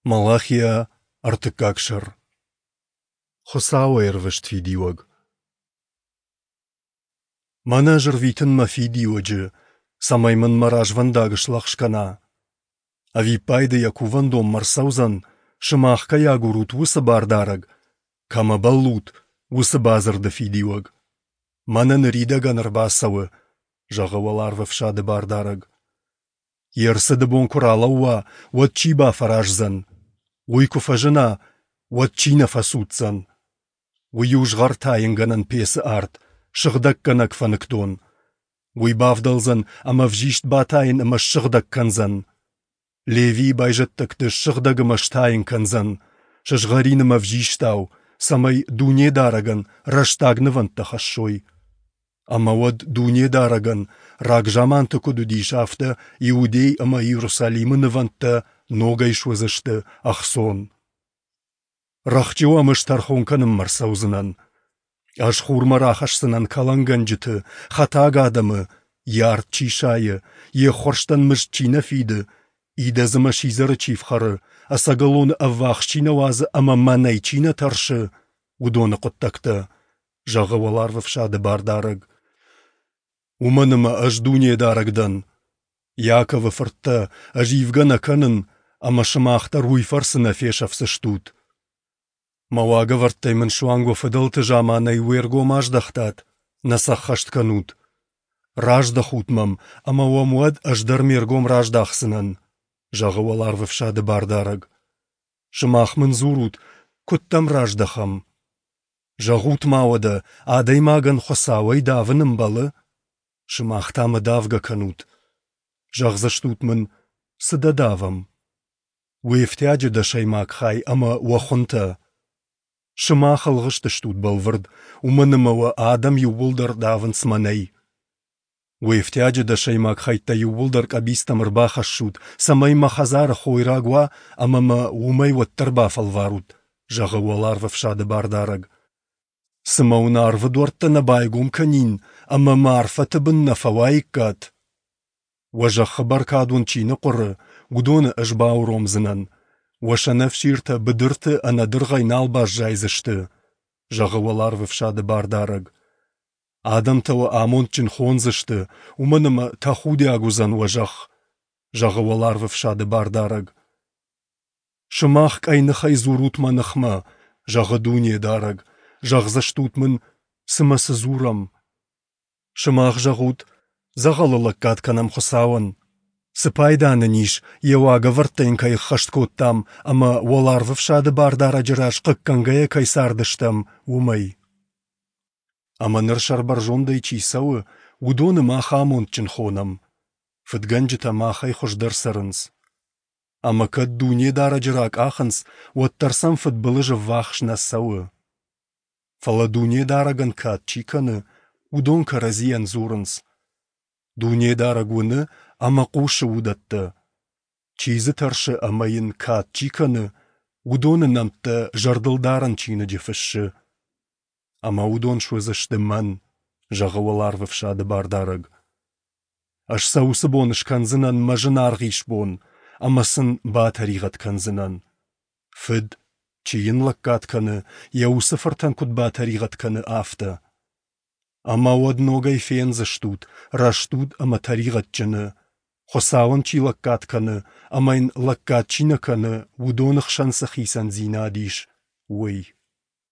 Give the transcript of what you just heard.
Малахия, ӕртыккаг сӕр. Хуыцауы ӕрвыст фидиуӕг. Мӕнӕ ӕз ӕрвитын мӕ фидиуӕджы, цӕмӕй мын мӕ развӕндаг слӕгъз кӕна. Ӕвиппайды йӕ кувӕндонмӕ ӕрцӕудзӕн, сымах кӕй агурут, уыцы бардарӕг, кӕмӕ бӕллут, уыцы бадзырды фидиуӕг. Мӕнӕ ныридӕгӕн ӕрбацӕуы, зӕгъы уӕларвӕфсады бардарӕг. Йе рцыды бон куы ралӕууа, уӕд чи бафӕраздзӕн? Уый куы фӕзына, уӕд чи нӕ фӕцуддзӕн? Уый у згъӕртайынгӕнӕн пецы арт, сыгъдӕггӕнӕг фӕныкдон. Уый бавдӕлдзӕн ӕмӕ ӕвзист батайын ӕмӕ ссыгъдӕг кӕндзӕн. Левийы байзӕддӕгты ссыгъдӕг ӕмӕ стайын кӕндзӕн, сызгъӕрин ӕмӕ ӕвзистау, цӕмӕй Дунедарӕгӕн рӕстаг нывӕндтӕ хӕссой. Ӕмӕ уӕд Дунедарӕгӕн, рагзаманты куыд уыдис, афтӕ Иудей ӕмӕ Иерусалимы нывӕндтӕ ногӕй суыдзысты ӕхцон. Рӕхджы уӕм ӕз тӕрхон кӕнынмӕ ӕрцӕудзынӕн. Ӕз хурмӕ рахӕсдзынӕн кӕлӕнгӕнджыты, хӕтаг адӕмы, йӕ ард чи сайы, йе ххуырстӕн мызд чи нӕ фиды, идӕдз ӕмӕ сидзӕры чи фхӕры, ӕцӕгӕлоны ӕввахс чи нӕ уадзы ӕмӕ мӕнӕй чи нӕ тӕрсы, уыдоны хъуыддӕгтӕ, зӕгъы уӕларвӕфсады Бардарӕг. Уымӕн ӕмӕ ӕз Дунедарӕг дӕн. Иаковы фырттӕ, ӕз ивгӕ нӕ кӕнын, ӕмӕ сымах дӕр уый фӕрцы нӕ фесӕфдзыстут. Мӕ уагӕвӕрдтӕй мын суанг уӕ фыдӕлты заманӕй уе ргом аздӕхтат, нӕ сӕ ӕххӕст кӕнут. Раздӕхут мӕм, ӕмӕ уӕм уӕд ӕз дӕр ме ргом раздахдзынӕн, зӕгъы уӕларвӕфсады Бардарӕг. Сымах мын дзурут, куыд дӕм раздӕхӕм? Зӕгъут-ма уӕдӕ, адӕймагӕн Хуыцауӕй давын ӕмбӕлы? Сымах та мӕ давгӕ кӕнут. Зӕгъдзыстут мын, цы дӕ давӕм? Уе фтиаджы дӕсӕймаг хай ӕмӕ уӕ хуынтӕ. Сымах ӕлгъыст стут бӕлвырд, уымӕн ӕмӕ уӕ адӕм иууылдӕр давынц мӕнӕй. Уе фтиаджы дӕсӕймаг хӕйттӕ иууылдӕр къӕбицтӕм ӕрбахӕссут, цӕмӕй мӕ хӕдзары хойраг уа ӕмӕ мӕ уымӕй уӕддӕр бафӕлварут, зӕгъы уӕларвӕфсады Бардарӕг. Цымӕ уын арвы дуӕрттӕ нӕ байгом кӕнин ӕмӕ мӕ арфӕты бын нӕ фӕуаиккат? Уӕ зӕххы бӕркад уын чи ныхъуыры, уыдоны ӕз бауромдзынӕн. Уӕ сӕнӕфсиртӕ быдырты ӕнӕдыргъӕй нал баззайдзысты, зӕгъы уӕларвӕфсады Бардарӕг. Адӕмтӕ уӕ амондджын хондзысты, уымӕн ӕмӕ тӕхудиаг уыдзӕн уӕ зӕхх, зӕгъы уӕларвӕфсады Бардарӕг. Сымах къӕйныхӕй дзурут мӕ ныхмӕ, зӕгъы Дунедарӕг, зӕгъдзыстут мын, цымӕ цы дзурӕм? Сымах зӕгъут, дзӕгъӕлы лӕггад кӕнӕм Хуыцауӕн. Цы пайда нын ис, йӕ уагӕвӕрдтӕ йын кӕй ӕххӕст кодтам ӕмӕ уӕларвӕфсады Бардарӕджы раз хъыггӕнгӕйӕ кӕй цардыстӕм, уымӕй? Ӕмӕ ныр сӕрбӕрзондӕй чи цӕуы, уыдоны мах амондджын хонӕм. Фыдгӕнджытӕ махӕй хуыздӕр цӕрынц. Ӕмӕ кӕд Дунедарӕджы ракъахынц, уӕддӕр сӕм фыдбылыз ӕввахс нӕ цӕуы. Фӕлӕ Дунедарӕгӕн кад чи кӕны, уыдон кӕрӕдзийӕн дзурынц: Дунедарӕг уыны ӕмӕ хъусы уыдӕттӕ. Чи дзы тӕрсы ӕмӕ йын кад чи кӕны, уыдоны нӕмттӕ зӕрдылдарӕн чиныджы фыссы. Ӕмӕ уыдон суыдзысты мӕн, зӕгъы уӕларвӕфсады Бардарӕг. Ӕз сӕ уыцы бон скӕндзынӕн мӕ зынаргъ исбон ӕмӕ сын батӕригъӕд кӕндзынӕн. Фыд, чи йын лӕггад кӕны, йӕ уыцы фыртӕн куыд батӕригъӕд кӕны, афтӕ. Ӕмӕ уӕд ногӕй фендзыстут рӕстуд ӕмӕ тӕригъӕдджыны, Хуыцауӕн чи лӕггад кӕны ӕмӕ йын лӕггад чи нӕ кӕны, уыдоны хсӕн цы хицӕндзинад ис, уый.